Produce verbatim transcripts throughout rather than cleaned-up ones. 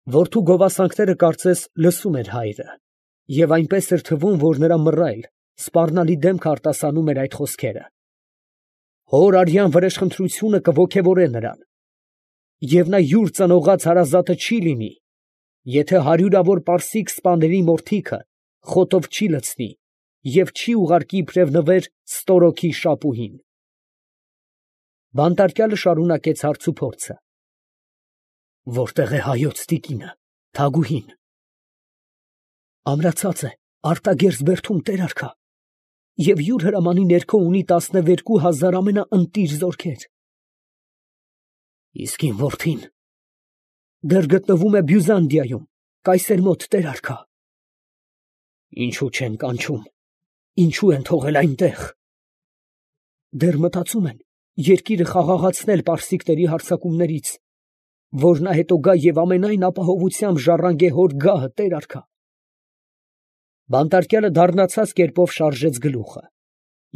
Որդու գովասանքները կարծես լսում էր հայրը, և այնպես էր թվում, որ նրա մռայլ, սպառնալի դեմքը արտասանում էր այդ խոսքերը. հոր արյան վրեժխնդրությունը կոգևորե նրան, և նա յուր ծնողած հարազատը չի լինի, եթե հարյուրավոր պարսիկ սպաների մորթիքը խոտով չի լցնի և չի ուղարկի իբրև նվեր ստորոգի շապուհին։ Բանտարկյալը շարունակեց հարցուփորձը. Որտե՞ղ է հայոց տիկինը, Թագուհին։ Ամրացած է Արտագերձ բերդում, տեր արքա, և յուր հրամանի ներքո ունի տասնվերկու հազար ամենաընտիր զորքեր։ Իսկ իմ որդին դեռ գտնվում է Բյուզանդիայում, կայսեր մոտ, տեր արքա։ Ինչու չեն կանչում, ինչու են թողել այնտեղ։ Դեռ մտածում են երկիրը խաղաղացնել պարսիկների հարձակումներից, որ նա հետո գա և ամենայն ապահովությամբ ժառանգե հոր գահը, տեր արքա։ Բանտարկյալը դառնացած կերպով շարժեց գլուխը,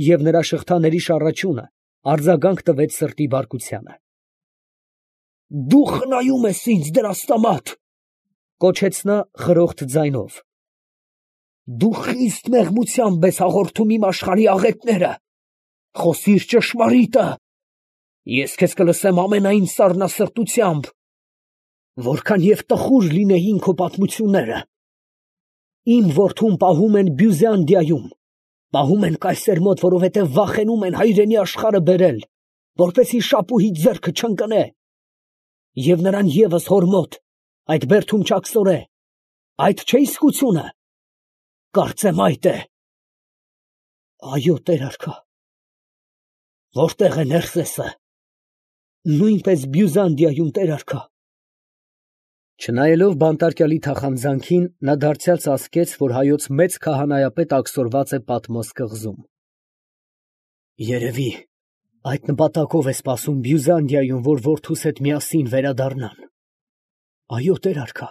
և նրա շղթաների շառաչյունը արձագանք տվեց սրտի բարկությանը։ Դու խնայում ես ինձ, դրաստամատ, կոչեց նա խրոխտ ձայնով։ Դու խիստ մեղմությամբ ես հաղորդում իմ աշխարհի աղետները, խոսիր ճշմարիտը, ես քեզ կլսեմ ամենայն սառնասրտությամբ, որքան և տխուր լինեին քո պատմությունները։ Իմ որդուն պահում են Բյուզանդիայում, պահում են կայսեր մոտ, որովհետև վախենում են հայրենի աշխարհը բերել, որպեսզի շապուհի ձեռքը չընկնե, և նրան ևս հոր մոտ, այդ բերդում չակսորե, այդ չէ իսկությունը, կարծեմ այդ է։ Այո, տեր արքա։ Որտե՞ղ է Ներսեսը։ Նույնպես Բյուզանդիայում, տեր արքա։ Չնայելով բանտարկյալի թախանձանքին, նա դարձյալ ծածկեց, որ հայոց մեծ քահանայապետ ակսորված է Պատմոս կղզում։ Երևի այդ նպատակով է սպասում Բյուզանդիայում, որ որդուս հետ միասին վերադառնան։ Այո, տեր արքա։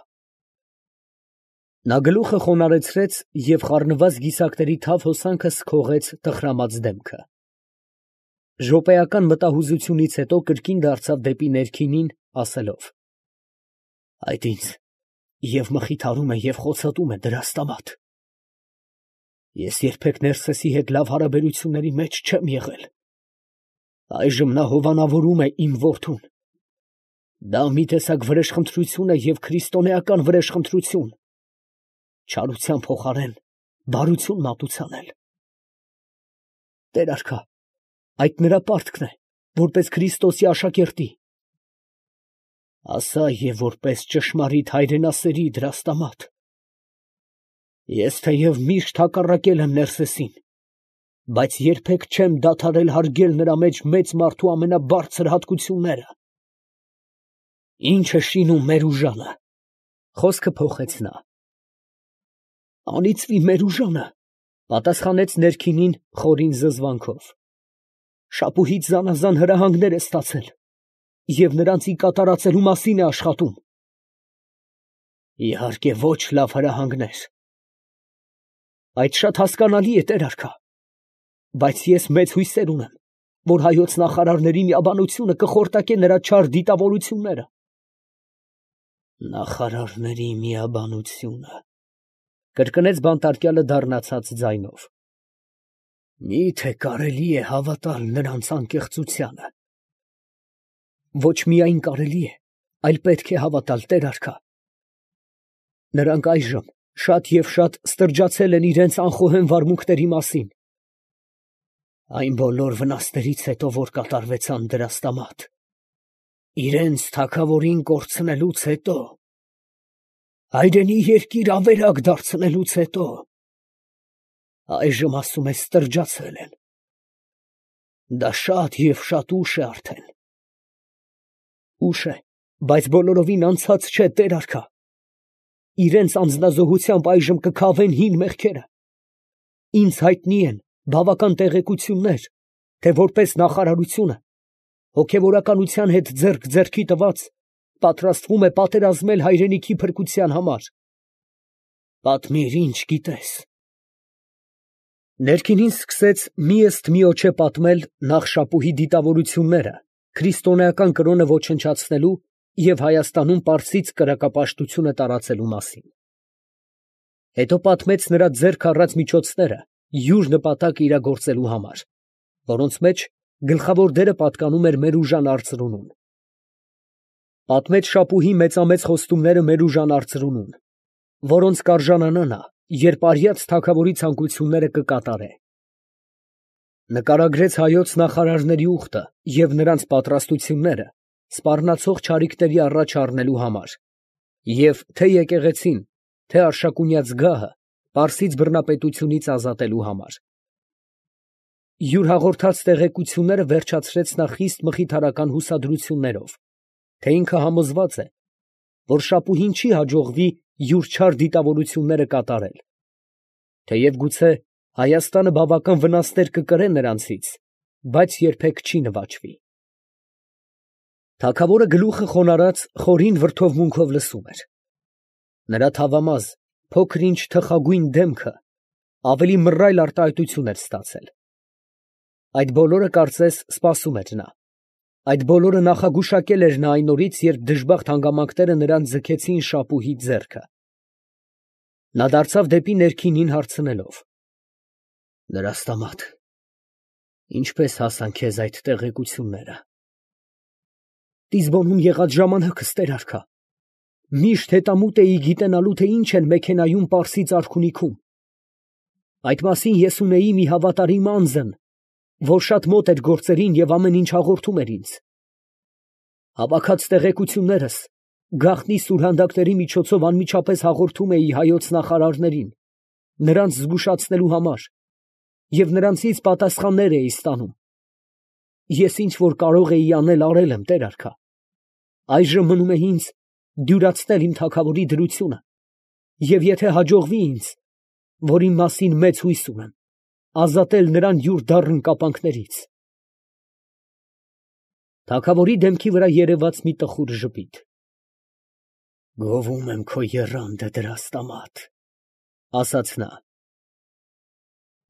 Նա գլուխը խոնարհեցրեց և խառնված գիսակների թավ հոսանքը սքողեց տխրամած դեմքը։ Րոպեական մտահուզությունից հետո կրկին դարձավ դեպի ներքինին, ասելով. Այդ ինձ և մխիթարում է, և խոցոտում է, դրաստամատ։ Ես երբեք Ներսեսի հետ լավ հարաբերությունների մեջ չեմ եղել։ Այժմ նա հովանավորում է իմ որդուն։ Դա մի տեսակ վրեժխնդրություն է և քրիստոնեական վրեժխնդրություն, չարության փոխարեն բարություն մատուցանել։ Տեր արքա, այդ նրա պարտքն է, որպես Քրիստոսի աշակերտի։ Ասա և որպես ճշմարիտ հայրենասերի, դրաստամատ։ Ես թեև միշտ հակառակել եմ Ներսեսին, բայց երբեք չեմ դադարել հարգել նրա մեջ մեծ մարդու ամենաբարձր հատկությունները։ Ի՞նչ է շինում Մերուժանը, խոսքը փոխեց նա։ Անիծվի Մերուժանը, պատասխանեց ներքինին խորին զզվանքով։ Շապուհից զանազան հրահանգներ է ստացել և նրանցի կատարածելու մասին է աշխատում։ Իհարկե ոչ լավ հրահանգներ։ Այդ շատ հասկանալի է, տեր արքա, բայց ես մեծ հույսեր ունեմ, որ հայոց նախարարների միաբանությունը կխորտակե նրա չար դիտավորությունները։ Նախարարների միաբանությունը, կրկնեց բանտարկյալը դառնացած ձայնով։ Մի՞թե կարելի է հավատալ նրանց անկեղծությանը։ Ոչ միայն կարելի է, այլ պետք է հավատալ, տեր արքա։ Նրանք այժմ շատ և շատ ստրջացել են իրենց անխոհեմ վարմունքների մասին։ Այն բոլոր վնասներից հետո, որ կատարվեցան, դրաստամատ, իրենց թագավորին կորցնելուց հետո, հայրենի երկիր ավերակ դարձնելուց հետո, այժմ ասում է ստրջացել են։ Դա շատ և շատ ուշ է արդեն։ Ուշ է, բայց բոլորովին անցած չէ, տեր արքա։ Իրենց անձնազոհությամբ այժմ կքավեն հին մեղքերը։ Ինձ հայտնի են բավական տեղեկություններ, թե որպես նախարարությունը, հոգևորականության հետ ձեռք ձեռքի տված, պատրաստվում է պատերազմել հայրենիքի փրկության համար։ Պատմիր, ինչ գիտես։ Ներքինին սկսեց մի ըստ միոջե պատմել նախ շապուհի դիտավորությունները քրիստոնեական կրոնը ոչնչացնելու և Հայաստանում պարսից կրակապաշտությունը տարածելու մասին։ Հետո պատմեց նրա ձեռք առած միջոցները յուր նպատակը իրագործելու համար, որոնց մեջ գլխավոր դերը պատկանում էր Մերուժան արծրունուն։ Պատմեց Շապուհի մեծամեծ խոստումները Մերուժան արծրունուն, որոնց կարժանանա նա, երբ արյաց թագավորի ցանկությունները կկատարե։ Նկարագրեց հայոց նախարարների ուխտը և նրանց պատրաստությունները սպառնացող չարիքների առաջ առնելու համար և թե՛ եկեղեցին, թե՛ Արշակունյաց գահը պարսից բռնապետությունից ազատելու համար։ Յուր հաղորդած տեղեկությունները վերջացրեց նա խիստ մխիթարական հուսադրություններով, թե ինքը համոզված է, որ Շապուհին չի հաջողվի յուր չար դիտավորությունները կատարել, թեև գուցե Հայաստանը բավական վնասներ կկրե նրանցից, բայց երբեք չի նվաճվի։ Թագավորը գլուխը խոնարհած խորին վրդովմունքով լսում էր։ Նրա թավամազ, փոքր-ինչ թխագույն դեմքը ավելի մռայլ արտահայտություն էր ստացել։ Այդ բոլորը, կարծես, սպասում էր նա. այդ բոլորը նախագուշակել էր նա այն օրից, երբ դժբախտ հանգամանքները նրան ձգեցին Շապուհի ձեռքը։ Նա դարձավ դեպի ներքինին հարցնելով. «Դրաստամատ, ինչպե՞ս հասան քեզ այդ տեղեկությունները»։ Տիզբոնում եղած ժամանակս, տեր֊արքա, միշտ հետամուտ էի գիտենալու, թե ինչ են մեքենայում պարսից արքունիքում։ Այդ մասին ես ունեի մի հավատարիմ անձն, որ շատ մոտ էր գործերին և ամեն ինչ հաղորդում էր ինձ։ Հավաքած տեղեկություններս գաղտնի սուրհանդակների միջոցով անմիջապես հաղորդում էի հայոց նախարարներին, նրանց զգուշացնելու համար, և նրանցից պատասխաններ էի ստանում։ Ես ինչ որ կարող էի անել, արել եմ, տեր֊արքա։ Այժմ մնում է ինձ դյուրացնել իմ թագավորի դրությունը, և եթե հաջողվի ինձ, որ իմ մասին մեծ հույս ունեմ, ազատել նրան յուր դառն կապանքներից։ Թագավորի դեմքի վրա երևաց մի տխուր ժպիտ։ «Գովում եմ քո եռանդը, Դրաստամատ», ֊ ասաց նա,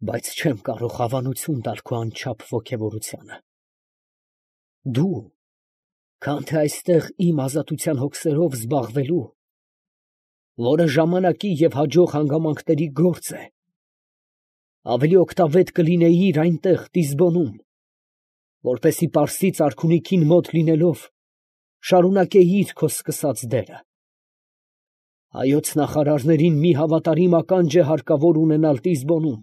«բայց չեմ կարող հավանություն տալ քո անչափ ոգևորությանը։ Դու, քան թե այստեղ իմ ազատության հոգսերով զբաղվելու, որը ժամանակի և հաջող հանգամանքների գործ է, ավելի օգտավետ կլինեիր այնտեղ Տիզբոնում, որպեսզի պարսից արքունիքին մոտ լինելով, շարունակեիր քո սկսած դերը։ Հայոց նախարարներին մի հավատարիմ ականջ է հարկավոր ունենալ Տիզբոնում,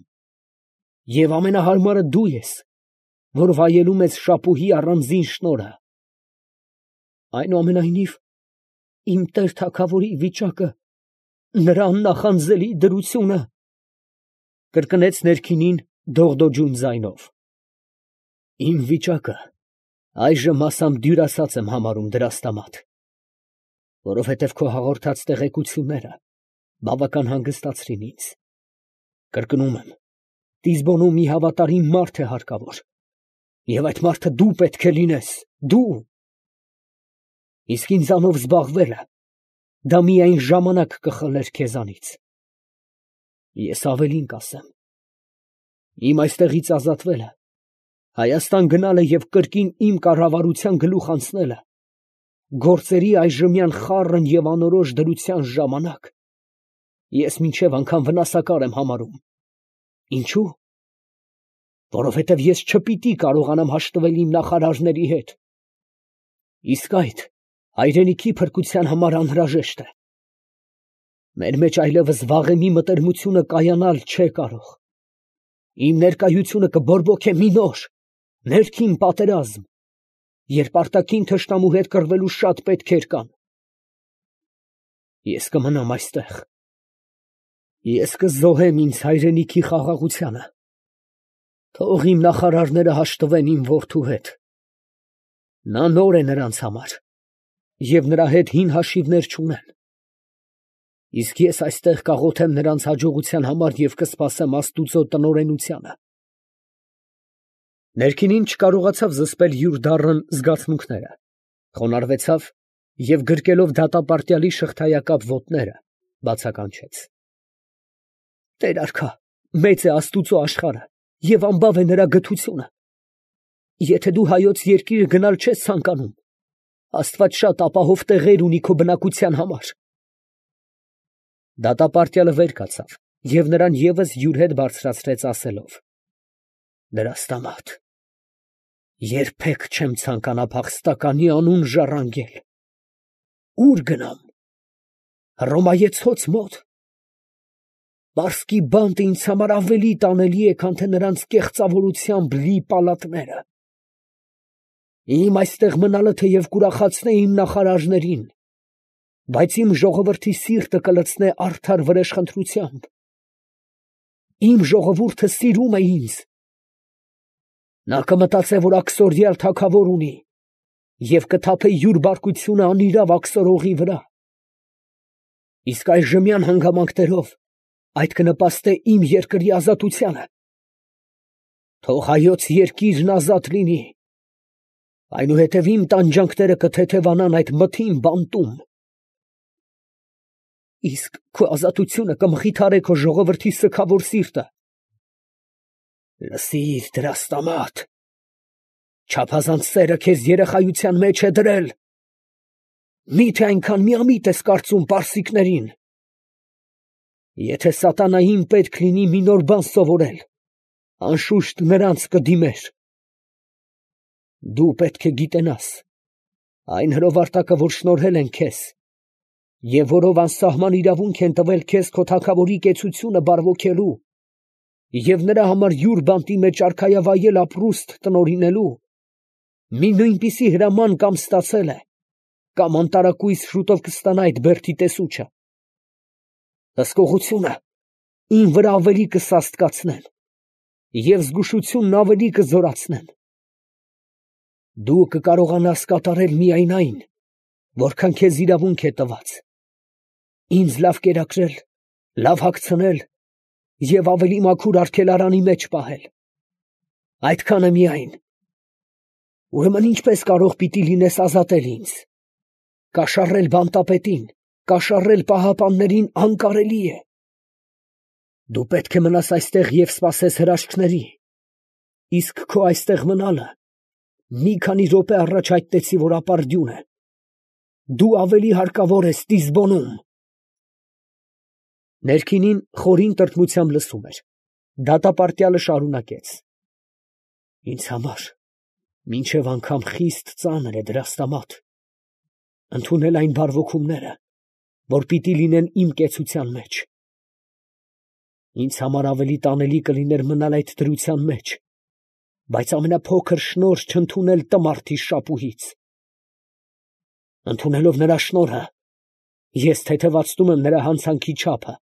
և ամենահարմարը դու ես, որ վայելում ես Շապուհի առանձին շնորհը։ Այնուամենայնիվ, իմ տեր թագավորի վիճակը, նրա աննախանձելի դրությունը, ֊ կրկնեց ներքինին դողդոջուն ձայնով, ֊ իմ վիճակը այժմ մասամբ դյուրասած եմ համարում, Դրաստամատ, որովհետև քո հաղորդած տեղեկությունները բավական հանգստացրին ինձ։ Կրկնում եմ, Տիզբոնում մի հավատարիմ մարդ է հարկավոր, և այդ մարդը դու պետք է լինես, դու։ Իսկ ինձանով զբաղվելը, դա միայն ժամանակ կխլեր քեզանից։ Ես ավելին կասեմ. իմ այստեղից ազատվելը, Հայաստան գնալը և կրկին իմ կառավարության գլուխ անցնելը, գործերի այժմյան խառն և անորոշ դրության ժամանակ, ես մինչև անգամ վնասակար եմ համարում։ Ինչո՞ւ։ Որովհետև ես չպիտի կարողանամ հաշտվել իմ նախարարների հետ։ Իսկ այդ հայրենիքի փրկության համար անհրաժեշտ է։ Մեր մեջ այլևս վաղեմի մտերմությունը կայանալ չէ կարող։ Իմ ներկայությունը կբորբոքե մի նոր, ներքին պատերազմ, երբ արտաքին թշնամու հետ կռվելու շատ պետքեր կան։ Ես կմնամ այստեղ։ Ես կզոհեմ ինձ հայրենիքի խաղաղությանը։ Թող իմ նախարարները հաշտվեն իմ որդու հետ։ Նա նոր է նրանց համար, և նրա հետ հին հաշիվներ չունեն։ Իսկ ես այստեղ կաղոթեմ նրանց հաջողության համար և կսպասեմ աստուծո տնօրենությանը։ Ներքինին չկարողացավ զսպել յուր դառն զգացմունքները, խոնարհվեցավ և գրկելով դատապարտյալի շղթայակապ ոտները, բացականչեց. «Տեր֊արքա, մեծ է Աստուծո աշխարհը և ամբավ է նրա գթությունը։ Եթե դու Հայոց երկիրը գնալ չես ցանկանում, Աստված շատ ապահով տեղեր ունի քո բնակության համար։ Դատապարտյալը վեր կացավ և նրան ևս յուր հետ բարձրացրեց, ասելով. Դրաստամատ, երբեք չեմ ցանկանա փախստականի անուն ժառանգել։ Ո՞ւր գնամ, Հռոմայեցոց մոտ։ Պարսկի բանտը ինձ համար ավելի տանելի է, քան թե նրանց կեղծավորությամբ լի պալատները։ Իմ այստեղ մնալը թեև կուրախացնե իմ նախարարներին, բայց իմ ժողովրդի սիրտը կլցնե արդար վրեժխնդրությամբ։ Իմ ժողովուրդը սիրում է ինձ։ Նա կմտածե, որ աքսորյալ թագավոր ունի և կթափե յուր բարկությունը անիրավ աքսորողի վրա։ Իսկ այժմյան հանգամանքներով այդ կնպաստե իմ երկրի ազատությանը։ Թող հայոց երկիրն ազատ լինի, այնուհետև իմ տանջանքները կթեթևանան այդ մթին բանտում։ Իսկ քո ազատությունը կմխիթարե քո ժողովրդի սգավոր սիրտը։ Լսիր, դրաստամատ, չափազանց սերը քեզ երեխայության մեջ է դրել։ Մի՞թե այնքան միամիտ ես կարծում պարսիկներին։ Եթե սատանային պետք լինի մի նոր բան սովորել, անշուշտ նրանց կդիմեր։ Դու պետք է գիտենաս, այն հրովարտակը, որ շնորհել են քեզ, և որով անսահման իրավունք են տվել քեզ քո թագավորի կեցությունը բարվոքելու և նրա համար յուր բանտի մեջ արքայավայել ապրուստ տնօրինելու, մի նույնպիսի հրաման կամ ստացել է, կամ անտարակույս շուտով կստանա այդ բերդի տեսուչը։ Հսկողությունը իմ վրա ավելի կսաստկացնեն և զգուշությունն ավելի կզորացնեն։ Դու կկարողանաս կատարել միայն այն, որքան քեզ իրավունք է տված, ինձ լավ կերակրել, լավ հագցնել և ավելի մաքուր արգելարանի մեջ պահել։ Այդքանը միայն։ Ուրեմն ինչպես կարող պիտի լինես ազատել ինձ։ Կաշառել բանտապետին, կաշառել պահապաններին անկարելի է։ Դու պետք է մնաս այստեղ և սպասես հրաշքների, իսկ քո այստեղ մնալը մի քանի րոպե առաջ հայտնեցի, որ ապարդյուն է։ Դու ավելի հարկավոր ես Տիզբոնում։ Ներքինին խորին տրտմությամբ լսում էր։ Դատապարտյալը շարունակեց. Ինձ համար մինչև անգամ խիստ ծանր է, դրաստամատ, ընդունել այն բարվոքումները, որ պիտի լինեն իմ կեցության մեջ։ Ինձ համար ավելի տանելի կլիներ մնալ այդ դրության մեջ, բայց ամենափոքր շնորհ չընդունել տմարդի շապուհից։ Ընդունելով նրա շնորհը, ես թեթևացնում եմ նրա հանցանքի չափը։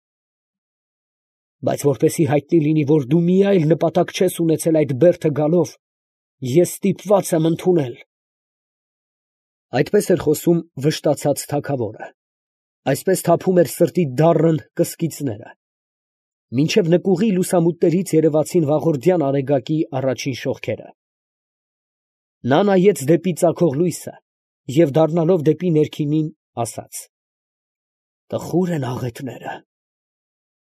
Բայց որպեսզի հայտնի լինի, որ դու մի այլ նպատակ չես ունեցել այդ բերդը գալով, ես ստիպված եմ ընդունել։ Այդպես էր խոսում վշտացած թագավորը, այսպես թափում էր սրտի դառն կսկիծները, մինչև նկուղի լուսամուտներից երևացին վաղորդյան արեգակի առաջին շողքերը։ Նա նայեց դեպի ծագող լույսը և դառնալով դեպի ներքինին, ասաց. Տխուր են աղետները,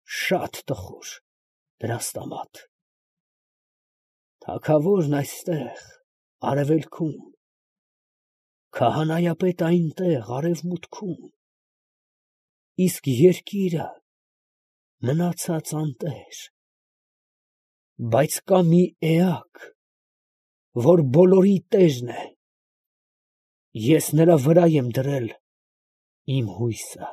շատ տխուր, դրաստամատ։ Թագավորն այստեղ, արևելքում, քահանայապետը այնտեղ, արևմուտքում, իսկ երկիրը մնացած անտեր։ Բայց կա մի էակ, որ բոլորի տերն է. ես նրա վրա եմ դրել իմ հույսը։